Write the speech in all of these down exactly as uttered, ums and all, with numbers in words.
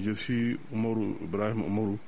Je suis Umaru Ibrahim Umaru.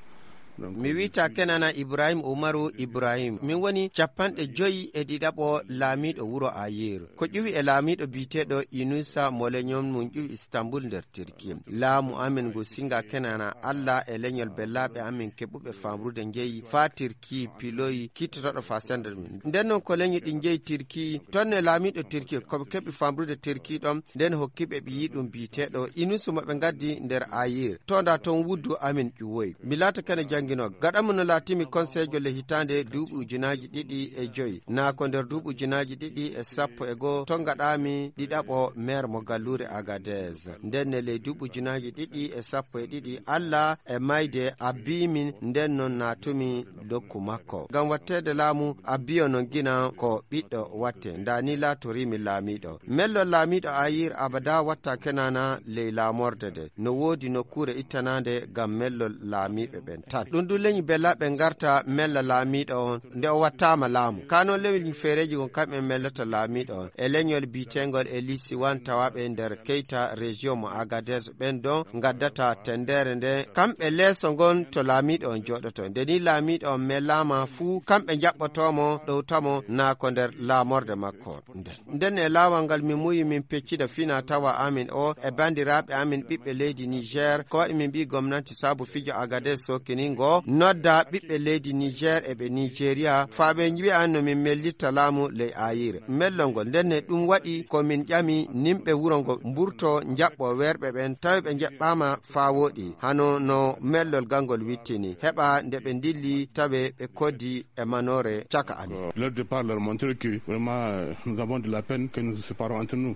Mi wiyta Kenana Ibrahim Umaru Ibrahim. Min woni capanɗe joyi e ɗiɗaɓo laamiiɗo wuro Ayir. Ko ƴuwi e laamiiɗo biyeteeɗo Inusa Moleñon, mun ƴuwi Istanbul nder Tirki. Laamu amin ngu singa Kenana Allah e leñol bellaaɓe amin keɓuɓe famrude njeyi faa Tirki piloyi kittotooɗo faa sendere min. Nden non ko leñi ɗi njeyi Tirki, ton ne laamiiɗo Tirki ko ɓe keɓi famrude Tirki ɗon, nden hokki ɓe ɓiyi ɗum biyeteeɗo Inusu mo ɓe ngaddi nder Ayir. To nda ton wuddu amin ƴuwoyi. Mi laata kene jannginoo. Gaɗa mo no laatimi konseejo le hitaande duuɓi ujunaaji ɗiɗi e joyi. Naa ko nder duuɓi ujunaaji ɗiɗi e sappo e goo to ngaɗaami ɗiɗaɓo meer mo galluure Agadez. Nden ne ley duuɓi ujunaaji ɗiɗi e sappo e ɗiɗi, Allah e mayde abbiimin, nden non naatumi dokku makko. Ngam watteede laamu abbiyo non gina ko ɓiɗɗo watte. Nda ni laatoriimi laamiiɗo. Mellol laamiiɗo Ayir abada watta Kenana ley laamorde de. No woodi nokkuure ittanaande ngam mellol laamiiɓe ɓen tan. Ɗum ɗum leñi bellaaɓe ngarta mella laamiiɗo on nde o wattaama laamu. Kaa non leñi feereeji gon kamɓe mellata laamiiɗo on. E leñol biyeteengol e Lisiwan tawaaɓe nder Keyta région mo Agadez ɓen ɗon ngaddata tendere nde kamɓe leeso ngon to laamiiɗo on jooɗoto. Nde ni laamiiɗo on melaama fuu kamɓe njaɓɓotoo mo ɗowta mo naa ko nder laamorde makko. Nden, nden e laawol ngal min muyi min peccida fina tawa amin o e banndiraaɓe amin ɓiɓɓe leydi Niger, ko waɗi min mbii gomnanti sabu fijo Agadez sookiningo nodda ɓiɓɓe leydi Niger e ɓe Nigeria faa ɓe mbi'a no min mellitta laamu ley Ayir. Mellol ngol nden ne ɗum waɗi ko min ƴami nimɓe wuro ngo mburto njaɓɓo weerɓe ɓen tawi ɓe njeɓɓaama faa wooɗi hano no mellol ngal ngol wittini heɓa nde ɓe ndilli tawe ɓe koddi e manoore caka amin. Euh, leur départ leur montrer que vraiment, euh, nous avons de la peine que nous nous séparons entre nous.